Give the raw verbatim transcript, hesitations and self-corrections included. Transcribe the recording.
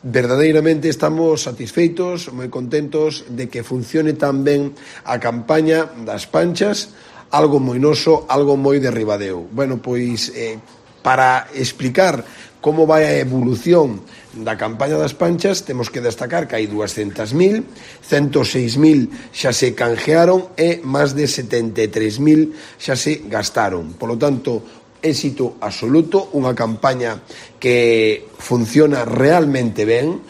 Verdadeiramente estamos satisfeitos, moi contentos de que funcione tan ben a campaña das Panchas, algo moi noso, algo moi de Ribadeo. Bueno, pois, eh, para explicar como vai a evolución da campaña das Panchas, temos que destacar que hai dúascentas mil, ciento seis mil xa se canjearon e máis de setenta e tres mil xa se gastaron. Por lo tanto, éxito absoluto, unha campaña que funciona realmente ben.